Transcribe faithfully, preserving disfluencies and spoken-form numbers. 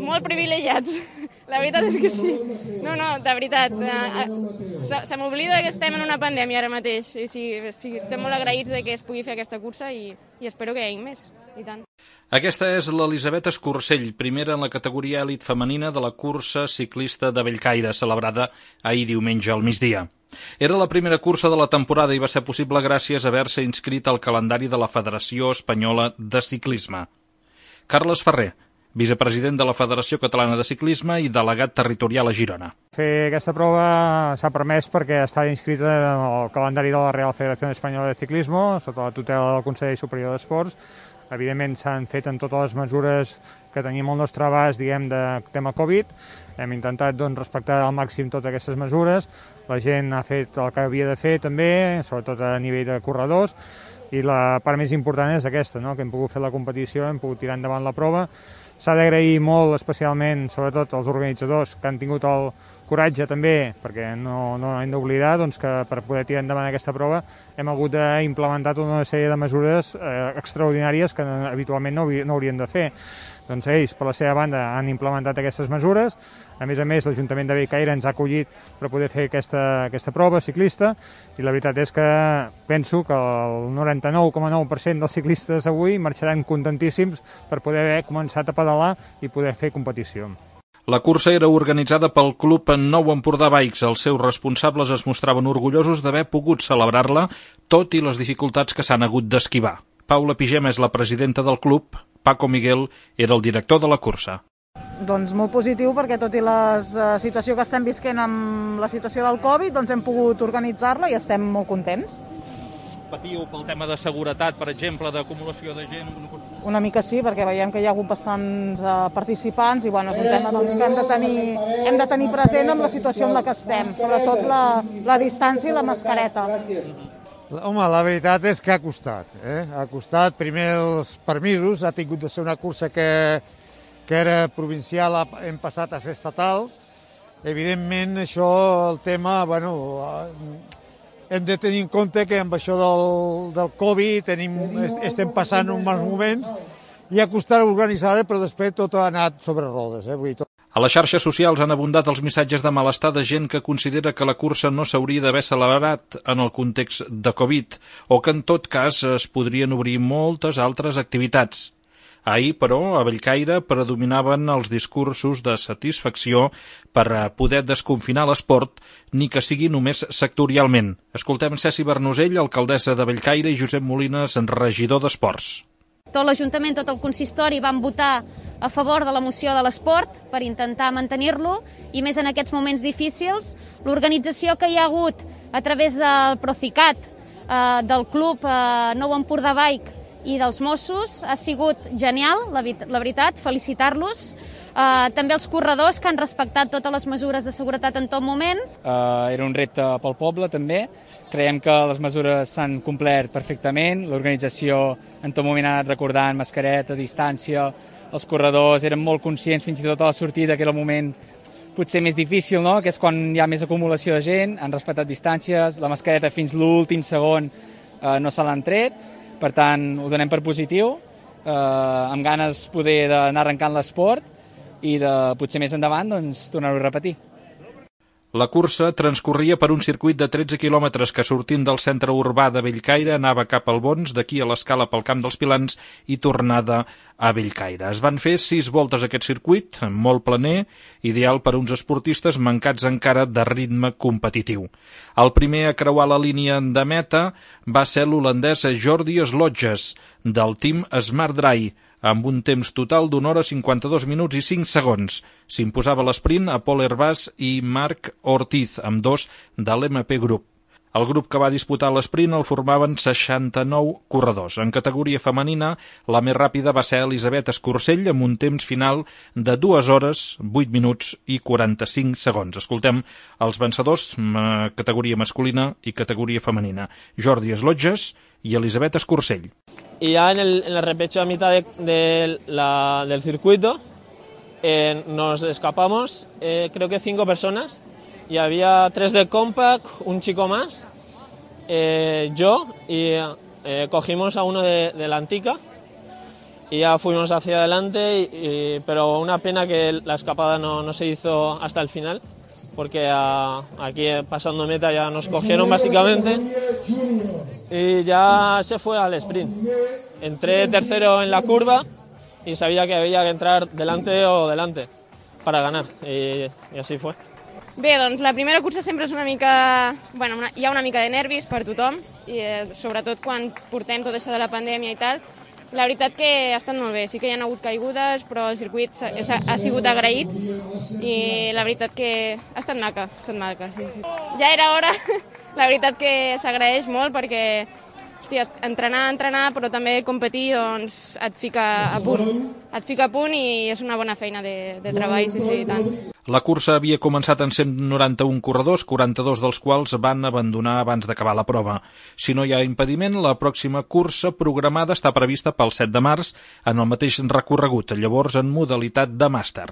molt privilegiats. La veritat és que sí. No, no, de veritat. Se, se m'oblida que estem en una pandèmia ara mateix. I sí, sí, estem molt agraïts de que es pugui fer aquesta cursa i, i espero que hi hagi més. I tant. Aquesta és l'Elisabet Escursell, primera en la categoria elit femenina de la cursa ciclista de Bellcaire, celebrada ahir diumenge al migdia. Era la primera cursa de la temporada i va ser possible gràcies a haver-se inscrit al calendari de la Federació Espanyola de Ciclisme. Carles Ferrer, vicepresident de la Federació Catalana de Ciclisme i delegat territorial a Girona. Fer aquesta prova s'ha permès perquè està inscrita en el calendari de la Real Federació Espanyola de Ciclisme, sota la tutela del Consell Superior d'Esports. Evidentment s'han fet en totes les mesures que tenim al nostre abast, diguem, de tema Covid. Hem intentat doncs, respectar al màxim totes aquestes mesures. La gent ha fet el que havia de fer també, sobretot a nivell de corredors, i la part més important és aquesta, no? Que hem pogut fer la competició, hem pogut tirar endavant la prova. S'ha d'agrair molt, especialment, sobretot als organitzadors, que han tingut el coratge també, perquè no, no hem d'oblidar doncs, que per poder tirar endavant aquesta prova hem hagut d'implementar tota una sèrie de mesures eh, extraordinàries que habitualment no, no haurien de fer. Doncs ells, per la seva banda, han implementat aquestes mesures. A més a més, l'Ajuntament de Bellcaire ens ha acollit per poder fer aquesta, aquesta prova ciclista i la veritat és que penso que el noranta-nou coma nou per cent dels ciclistes avui marxaran contentíssims per poder haver començat a pedalar i poder fer competició. La cursa era organitzada pel Club Nou Empordà Bikes. Els seus responsables es mostraven orgullosos d'haver pogut celebrar-la, tot i les dificultats que s'han hagut d'esquivar. Paula Pigem és la presidenta del club, Paco Miguel era el director de la cursa. Doncs molt positiu perquè tot i la situació que estem visquent amb la situació del Covid, doncs hem pogut organitzar-la i estem molt contents. Patiu pel tema de seguretat, per exemple, d'acumulació de gent? Una mica sí, perquè veiem que hi ha hagut bastants uh, participants i bueno, és un tema doncs, que hem de, tenir, hem de tenir present amb la situació en la que estem, sobretot la, la distància i la mascareta. Home, la veritat és que ha costat. Eh? Ha costat, primer els permisos, ha tingut de ser una cursa que, que era provincial, hem passat a ser estatal. Evidentment, això, el tema, bueno, hem de tenir en compte que amb això del, del Covid tenim, estem passant uns mals moments i ha costat organitzar-la, però després tot ha anat sobre rodes. Eh? Vull dir, tot... A les xarxes socials han abundat els missatges de malestar de gent que considera que la cursa no s'hauria d'haver celebrat en el context de Covid o que en tot cas es podrien obrir moltes altres activitats. Ahir, però, a Bellcaire predominaven els discursos de satisfacció per poder desconfinar l'esport, ni que sigui només sectorialment. Escoltem Ceci Bernusell, alcaldessa de Bellcaire, i Josep Molines, regidor d'Esports. Tot l'Ajuntament, tot el consistori van votar a favor de la moció de l'esport per intentar mantenir-lo i més en aquests moments difícils. L'organització que hi ha hagut a través del Procicat, eh, del Club eh, Nou Empordà Bike i dels Mossos ha sigut genial, la, la veritat, felicitar-los. Eh, també els corredors que han respectat totes les mesures de seguretat en tot moment. Eh, era un repte pel poble també. Creiem que les mesures s'han complert perfectament, l'organització en tot moment ha anat recordant mascareta, distància, els corredors eren molt conscients fins i tot a la sortida, que era el moment potser més difícil, no? Que és quan hi ha més acumulació de gent, han respectat distàncies, la mascareta fins l'últim segon eh, no se l'han tret, per tant ho donem per positiu, eh, amb ganes poder d'anar arrencant l'esport i de potser més endavant doncs, tornar-ho a repetir. La cursa transcorria per un circuit de tretze quilòmetres que sortint del centre urbà de Bellcaire anava cap al Bons, d'aquí a l'escala pel Camp dels Pilans i tornada a Bellcaire. Es van fer sis voltes a aquest circuit, molt planer, ideal per a uns esportistes mancats encara de ritme competitiu. El primer a creuar la línia de meta va ser l'holandès Jordi Slodges, del team Smart Dry, amb un temps total d'una hora cinquanta-dos minuts i cinc segons. S'imposava l'esprint a Pol Hervás i Marc Ortiz, amb dos de l'M P Group. El grup que va disputar l'esprint el formaven seixanta-nou corredors. En categoria femenina, la més ràpida va ser Elisabet Escursell, amb un temps final de dues hores, vuit minuts i quaranta-cinc segons. Escoltem els vencedors, categoria masculina i categoria femenina. Jordi Slodges y Elisabet Escursell. Y ya en el, en el repecho a mitad de, de la, del circuito eh, nos escapamos, eh, creo que cinco personas, y había tres del Compact, un chico más, eh, yo, y eh, cogimos a uno de, de la Antica y ya fuimos hacia adelante, y, y, pero una pena que la escapada no, no se hizo hasta el final, porque a, aquí pasando meta ya nos cogieron básicamente y ya se fue al sprint. Entré tercero en la curva y sabía que había que entrar delante o delante para ganar, i, i així fue. Bé, doncs la primera cursa sempre és una mica... Bueno, una, hi ha una mica de nervis per tothom, i eh, sobretot quan portem tot això de la pandèmia i tal. La veritat que ha estat molt bé, sí que hi ha hagut caigudes, però el circuit ha, ha sigut agraït i la veritat que ha estat maca, ha estat maca, sí, sí. Ja era hora, la veritat que s'agraeix molt perquè, hòstia, entrenar, entrenar, però també competir, doncs et fica a punt. Et fica a punt i és una bona feina de, de treball, sí, sí, i tant. La cursa havia començat en cent noranta-un corredors, quaranta-dos dels quals van abandonar abans d'acabar la prova. Si no hi ha impediment, la pròxima cursa programada està prevista pel set de març en el mateix recorregut, llavors en modalitat de màster.